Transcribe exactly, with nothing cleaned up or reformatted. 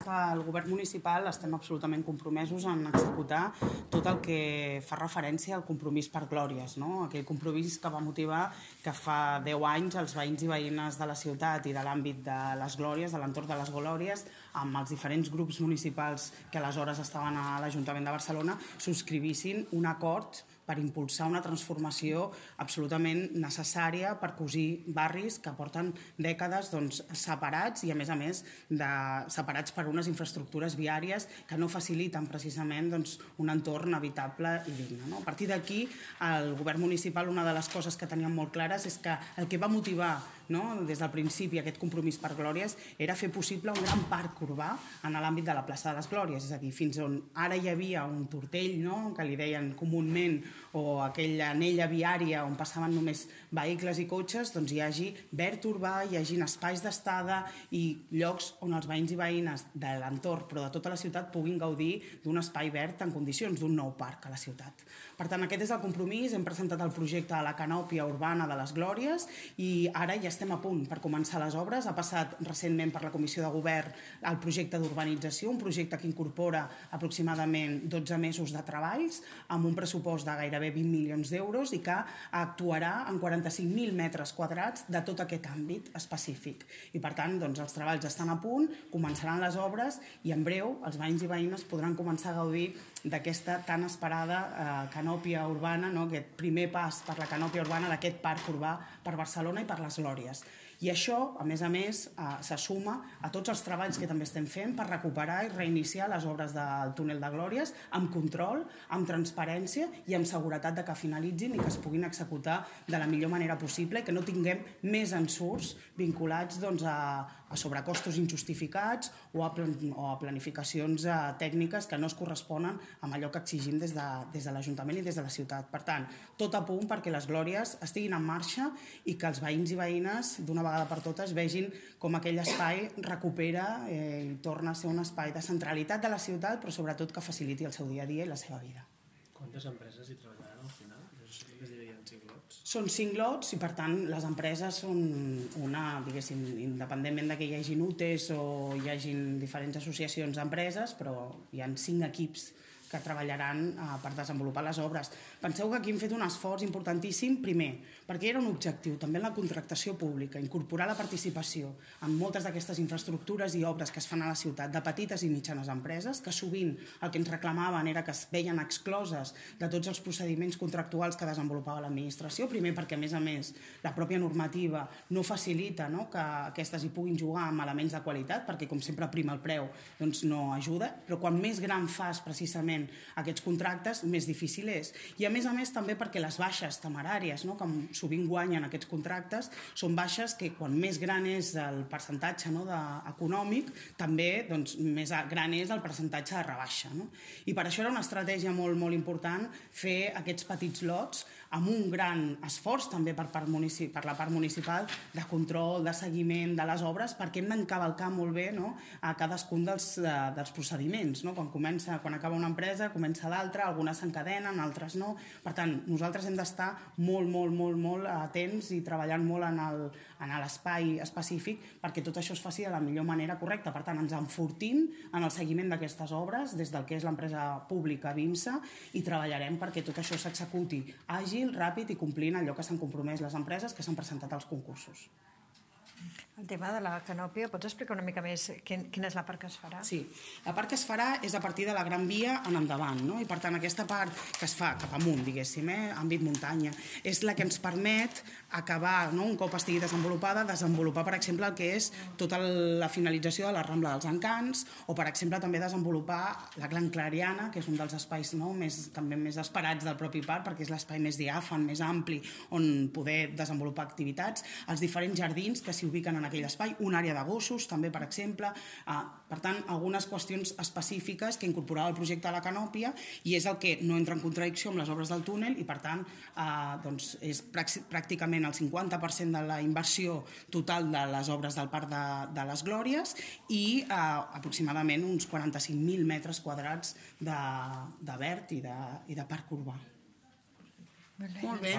que el govern municipal estem absolutament compromesos en executar tot el que fa referència al compromís per Glòries, no? Aquell compromís que va motivar que fa deu anys els veïns i veïnes de la ciutat i de l'àmbit de les Glòries, de l'entorn de les Glòries, amb els diferents grups municipals que aleshores estaven a l'Ajuntament de Barcelona, subscrivissin un acord per impulsar una transformació absolutament necessària per cosir barris que porten dècades doncs, separats i, a més a més, de, separats per unes infraestructures viàries que no faciliten precisament doncs, un entorn habitable i digne. No? A partir d'aquí, el govern municipal, una de les coses que teníem molt clares és que el que va motivar no, des del principi aquest compromís per Glòries era fer possible un gran parc urbà en l'àmbit de la plaça de les Glòries, és a dir, fins on ara hi havia un tortell, no, que li deien comúment, o aquella anella viària on passaven només vehicles i cotxes, doncs hi hagi verd urbà, hi hagi espais d'estada i llocs on els veïns i veïnes de l'entorn, però de tota la ciutat, puguin gaudir d'un espai verd en condicions, d'un nou parc a la ciutat. Per tant, aquest és el compromís. Hem presentat el projecte de la canòpia urbana de les Glòries i ara ja estem a punt per començar les obres. Ha passat recentment per la Comissió de Govern el projecte d'urbanització, un projecte que incorpora aproximadament dotze mesos de treballs amb un pressupost de gairebé vint milions d'euros i que actuarà en quaranta-cinc mil metres quadrats de tot aquest àmbit específic. I per tant, doncs, els treballs estan a punt, començaran les obres i en breu els veïns i veïnes podran començar a gaudir d'aquesta tan esperada eh, canòpia urbana, no? Aquest primer pas per la canòpia urbana d'aquest parc urbà per Barcelona i per les Glòries. I això, a més a més, eh, se suma a tots els treballs que també estem fent per recuperar i reiniciar les obres del túnel de Glòries amb control, amb transparència i amb seguretat de que finalitzin i que es puguin executar de la millor manera possible i que no tinguem més ensurts vinculats doncs, a, a sobrecostos injustificats o a, plan, o a planificacions eh, tècniques que no es corresponen amb allò que exigim des de, des de l'Ajuntament i des de la ciutat. Per tant, tot a punt perquè les Glòries estiguin en marxa i que els veïns i veïnes d'una vegada per totes vegin com aquell espai recupera eh, i torna a ser un espai de centralitat de la ciutat, però sobretot que faciliti el seu dia a dia i la seva vida. Quantes empreses hi treballaran al final? Només hi havia cinc lots? Són cinc lots i, per tant, les empreses són una, diguéssim, independentment de que hi hagin U T Es o hi hagin diferents associacions d'empreses, però hi ha cinc equips que treballaran eh, per desenvolupar les obres. Penseu que aquí hem fet un esforç importantíssim, primer, perquè era un objectiu, també en la contractació pública, incorporar la participació en moltes d'aquestes infraestructures i obres que es fan a la ciutat de petites i mitjanes empreses, que sovint el que ens reclamaven era que es veien excloses de tots els procediments contractuals que desenvolupava l'administració, primer perquè, a més a més, la pròpia normativa no facilita no, que aquestes hi puguin jugar amb elements de qualitat, perquè, com sempre, prima el preu, doncs no ajuda, però quan més gran fas precisament aquests contractes, més difícil és. I a més a més també perquè les baixes temeràries, no, que sovint guanyen aquests contractes, són baixes que quan més gran és el percentatge no, de, econòmic, també doncs, més gran és el percentatge de rebaixa. No? I per això era una estratègia molt, molt important fer aquests petits lots amb un gran esforç també per, part per la part municipal de control, de seguiment de les obres, perquè hem d'encavalcar molt bé no, a cadascun dels, de, dels procediments. No? Quan, comença, quan acaba una empresa, comença l'altra, algunes s'encadenen, altres no. Per tant, nosaltres hem d'estar molt, molt, molt, molt atents i treballant molt en l'espai específic perquè tot això es faci de la millor manera correcta. Per tant, ens enfortim en el seguiment d'aquestes obres des del que és l'empresa pública BIMSA i treballarem perquè tot això s'executi àgil, ràpid i complint allò que s'han compromès les empreses que s'han presentat als concursos. El tema de la canòpia, pots explicar una mica més quina és la part que es farà? Sí, la part que es farà és a partir de la Gran Via en endavant, no? I per tant aquesta part que es fa cap amunt, diguéssim, eh? àmbit muntanya, és la que ens permet acabar, no? un cop estigui desenvolupada, desenvolupar, per exemple, el que és tota la finalització de la Rambla dels Encants o, per exemple, també desenvolupar la Gran Clariana, que és un dels espais no? més, també més esperats del propi parc, perquè és l'espai més diàfan, més ampli, on poder desenvolupar activitats, els diferents jardins que s'hi ubiquen en aquell espai, una àrea de gossos, també, per exemple. Per tant, algunes qüestions específiques que incorporava el projecte de la canòpia i és el que no entra en contradicció amb les obres del túnel i, per tant, és pràcticament el cinquanta per cent de la inversió total de les obres del Parc de les Glòries i aproximadament uns quaranta-cinc mil metres quadrats de verd i de parc urbà. Molt bé. Molt bé.